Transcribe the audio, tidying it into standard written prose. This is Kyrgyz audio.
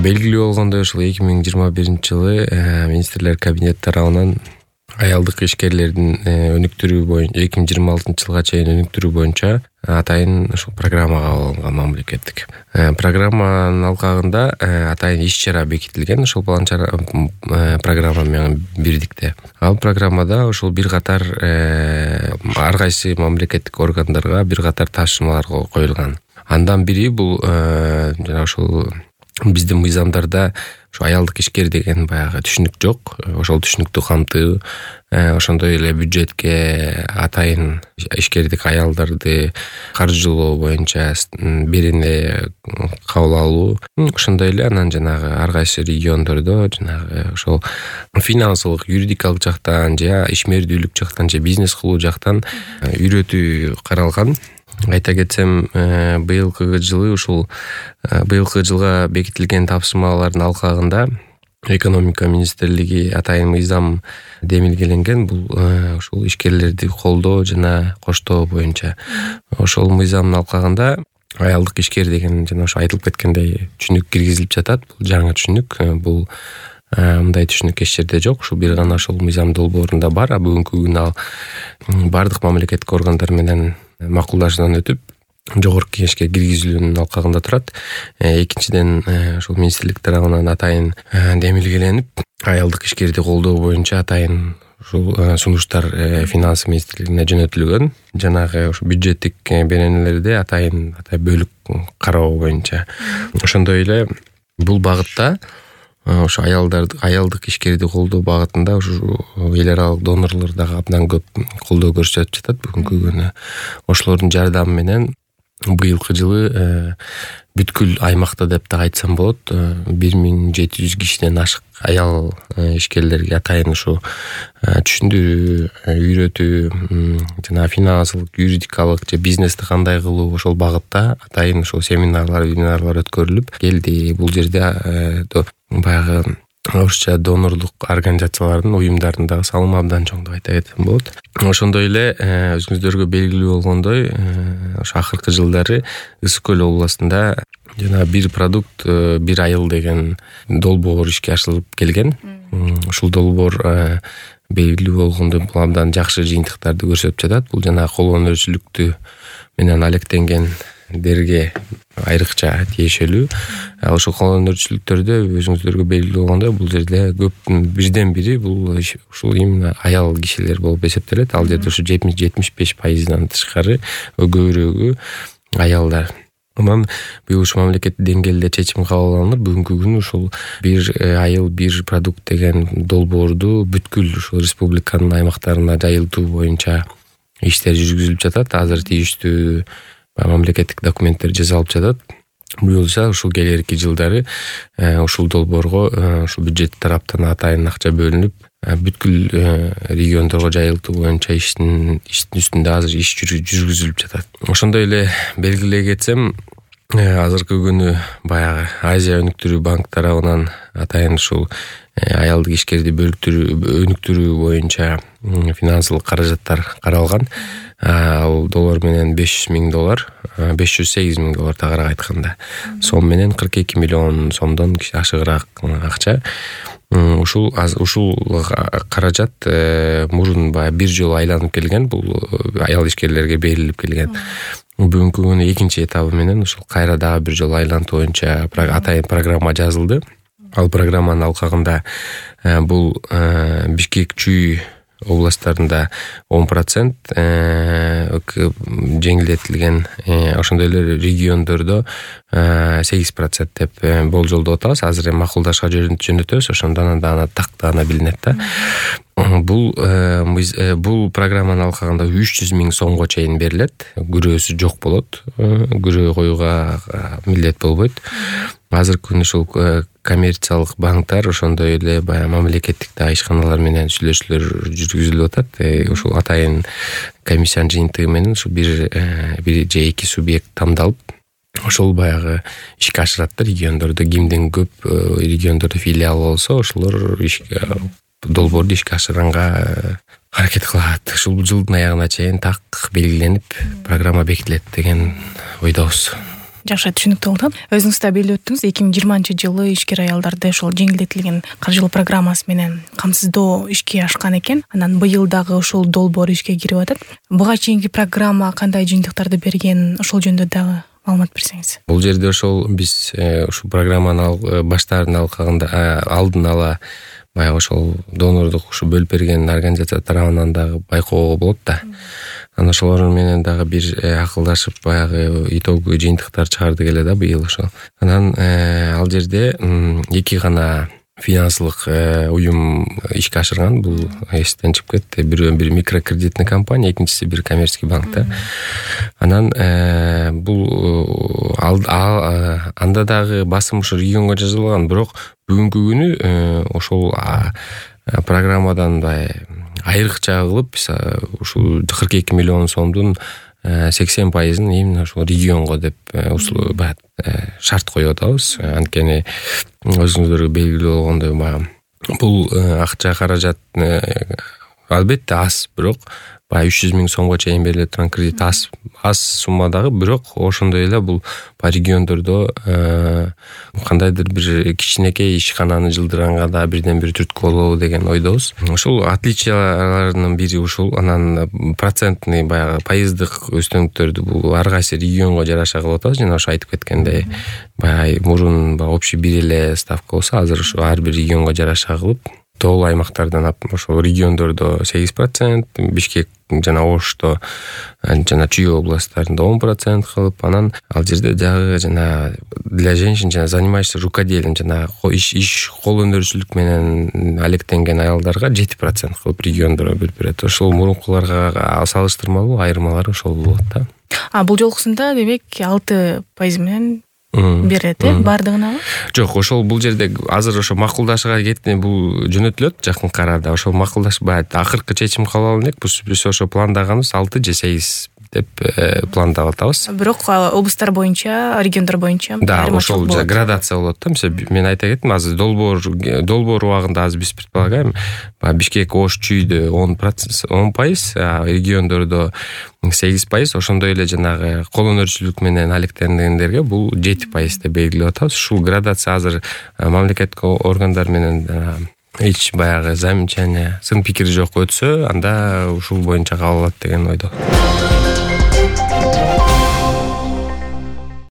Белгилүү болгондой ушул 2021-жылы министрлер кабинети тарабынан аялдык ишкерлердин өнүктүрүү боюнча 2026-жылга чейин өнүктүрүү боюнча атайын ушул программа кабыл алынган мамлекеттик. Программанын алкагында атайын иш-чара бекитилген ушул программа менен бирдикте. Ал программада ушул бир катар ар кайсы мамлекеттик органдарга бир катар тапшырмалар коюлган. Андан бири бул жана ушул биздин мыйзамдарда ушу аялдык ишкер деген баягы түшүнүк жок. Ошол түшүнүктү камтуу, ошондой эле бюджетке атайын ишкердик аялдарды каржылоо боюнча берене кабыл алуу, ошондой эле анан жанагы ар кайсы региондордо жанагы ошол финансылык, юридикалык жактан же ишмердүүлүк жактан же бизнес кылуу жактан үйрөтүү каралган. Айта кетсем, быйылкы жылга бекитилген тапшырмалардын алкагында экономика министрлиги атайын мыйзам демилгеленген. Бул ушул ишкерлерди колдоо жана коштоо боюнча. Ошол мыйзамдын алкагында аялдык ишкер деген жана ошо айтылып кеткендей түшүнүк киргизилип жатат. Бул жаңы түшүнүк. Бул мындай түшүнүк эч жерде жок. Ушул бир гана ошол мыйзам долбоорунда бар. Бүгүнкү күнү ал бардык мамлекеттик органдар менен макулдашуудан өтүп жогорку кеңешке киргизилүүнүн алкагында турат. Экинчиден, ушул министрлик тарабынан атайын демилгеленип, аялдык ишкерди колдоо боюнча атайын ушул сунуштар финанс министрлигине жөнөтүлгөн. Жанагы ушу бюджеттик беренелерди атайын бөлүк кароо боюнча. Ошондой эле бул багытта ошо аялдык ишкерди колдоо багытында ушу эл аралык донорлор дагы абдан көп колдоо көрсөтүп жатат бүгүнкү күнү. Ошолордун жардамы менен быйылкы жылы бүткүл аймакта деп да айтсам болот, 1700 кишиден ашык аял ишкерлерге атайын ушу түшүндүрүү, үйрөтүү жана финансылык, юридикалык же бизнести кандай кылуу ошол багытта атайын ушул семинарлар өткөрүлүп келди. Бул жерде баягы орусча донорлук организациялардын, уюмдардын дагы салымы абдан чоң деп айта кетсем болот. Ошондой эле өзүңүздөргө белгилүү болгондой, ошо акыркы жылдары Ысык көл областында жана бир продукт, бир айыл деген долбоор ишке ашырылып келген. Ушул долбоор белгилүү болгондой бул абдан жакшы жыйынтыктарды көрсөтүп жатат. Бул жана кол өнөрчүлүктү менен алектенгендерге айрыкча тиешелүү. Ошол кол өнөрчүлүктөрдө өзүңүздөргө белгилүү болгондой бул жерде көп бирден бири бул ушул именно аял кишилер болуп эсептелет. Ал жерде ушу 70-75%дан тышкары көбүрөгү аялдар. Анан бул ушу мамлекеттик деңгээлде чечим кабыл алынып, бүгүнкү күнү ушул бир айыл бир продукт деген долбоорду бүткүл ушул республиканын аймактарына жайылтуу боюнча иштер жүргүзүлүп жатат. Азыр тийиштүү мамлекеттик документтер жасалып жатат. Буюрса ушул келерки жылдары ушул долбоорго ушул бюджет тараптан атайын акча бөлүнүп, бүткүл региондорго жайылтуу боюнча иштин үстүндө азыр иш жүргүзүлүп жатат. Ошондой эле белгилей кетсем, азыркы күнү баягы Азия өнүктүрүү банк тарабынан атайын ушул аялдык ишкерди өнүктүрүү боюнча финансылык каражаттар каралган. Ал доллар менен $508 миң тагыраак айтканда. Сом менен 42 миллион сомдон ашыгыраак акча. Ушул каражат мурун бир жолу айланып келген, бул аял ишкерлерге берилип келген. Бүгүнкү күнү экинчи этабы менен ушул кайра дагы бир жолу айлантуу боюнча атайын программа жазылды. Ал программанын алкагында бул Бишкек, Чүй областтарында 10% жеңилдетилген, ошондой эле региондордо 8% деп болжолдоп атабыз. Азыр эми макулдашка жөнөтөбүз, ошондон аны тактана билинет да. Бул программанын алкагында 300 миң сомго чейин берилет. Күрөөсү жок болот. Күрөө коюуга милдет болбойт. Азыркы күнү ушул коммерциялык банктар, ошондой эле баягы мамлекеттик ишканалар менен сүйлөшүүлөр жүргүзүлүп атат. Ушул атайын комиссиянын жыйынтыгы менен ушул бир же эки субъект тандалып, ошол баягы ишке ашырат региондордо. Кимдин көп региондордо филиал болсо, ошолор долбоорду ишке ашырганга аракет кылат. Ушул жылдын аягына чейин так белгиленип, программа бекитилет деген ойдобуз. жакшы түшүнүктүү болду. Өзүңүз да белгилеп өттүңүз, 2020-жылы ишкер аялдарды ошол жеңилдетилген каржылоо программасы менен камсыздоо ишке ашкан экен. Анан быйыл дагы ошол долбоор ишке кирип атат. Буга чейинки программа кандай жыйынтыктарды берген, ошол жөнүндө дагы маалымат берсеңиз. Бул жерде ошол биз ушул программаны баштаардын алдын ала баягы ошол донорлук ушу бөлүп берген организация тарабынан дагы байкоого болот да. Анан ошолор менен дагы бир акылдашып баягы итогу жыйынтыктар чыгардык эле да быйыл ошол. Анан ал жерде 2 гана финансылык уюм ишке ашырган. Бул эстен чыгып кетти. Бирөө бир микрокредитный компания, экинчиси бир коммерческий банк да. Анан бул анда дагы басым ушу регионго жазылган, бирок бүгүнкү күнү ошол программадан айрыкча кылып ушул 42 миллион сомдун 80%-ын именно ошол регионго деп шарт коюп атабыз. Анткени өзүңүздөргө белгилүү болгондой бул акча каражат албетте аз, бирок 300 000 сомго чейин бериле турган кредит аз суммадагы, бирок ошондой эле бул региондордо кандайдыр бир кичинекей ишкананы жылдырганга да бирден бир түрткү болобу деген ойдобуз. Ошол отличияларынын бири ушул. Анан процентный баягы пайыздык өстөмдүктөрдү бул ар кайсы регионго жараша кылып атабыз. Жана ошо айтып кеткендей баягы мурун общий бир эле ставка болсо, азыр ошо ар бир регионго жараша кылып тоолуу аймактардан ошол региондордо 8%, Бишкек жана Ошто жана Чүй областтарында 10% кылып, анан ал жерде дагы жана для женщин жана занимающихся рукоделием жана иш кол өнөрчүлүк менен алектенген аялдарга 7% кылып региондорго бөлүп берет. Ошол мурункуларга салыштырмалуу айырмалары ошол болот да. Бул жолкусунда демек 6% менен берет, бардыгынабы? Жок, ошол бул жерде азыр ошо макулдашууга бул жөнөтүлөт жакынкы арада. Ошол макулдаш акыркы чечим кабыл алынат. Биз ошо пландаганыбыз 6 же 8 деп пландап атабыз. Бирок облустар боюнча, региондор боюнча да, ошол градация болот да. Мисалы мен айта кеттим, азыр долбоор убагында азыр биз предполагаем, Бишкек, Ош, Чүйдө 10%, региондордо 8%, ошондой эле жанагы кол өнөрчүлүк менен алектенгендерге бул 7% деп белгилеп атабыз. Ушул градация азыр мамлекеттик органдар менен эч баягы замечание, сын пикир жок өтсө, анда ушул боюнча кабыл алат деген ойдо.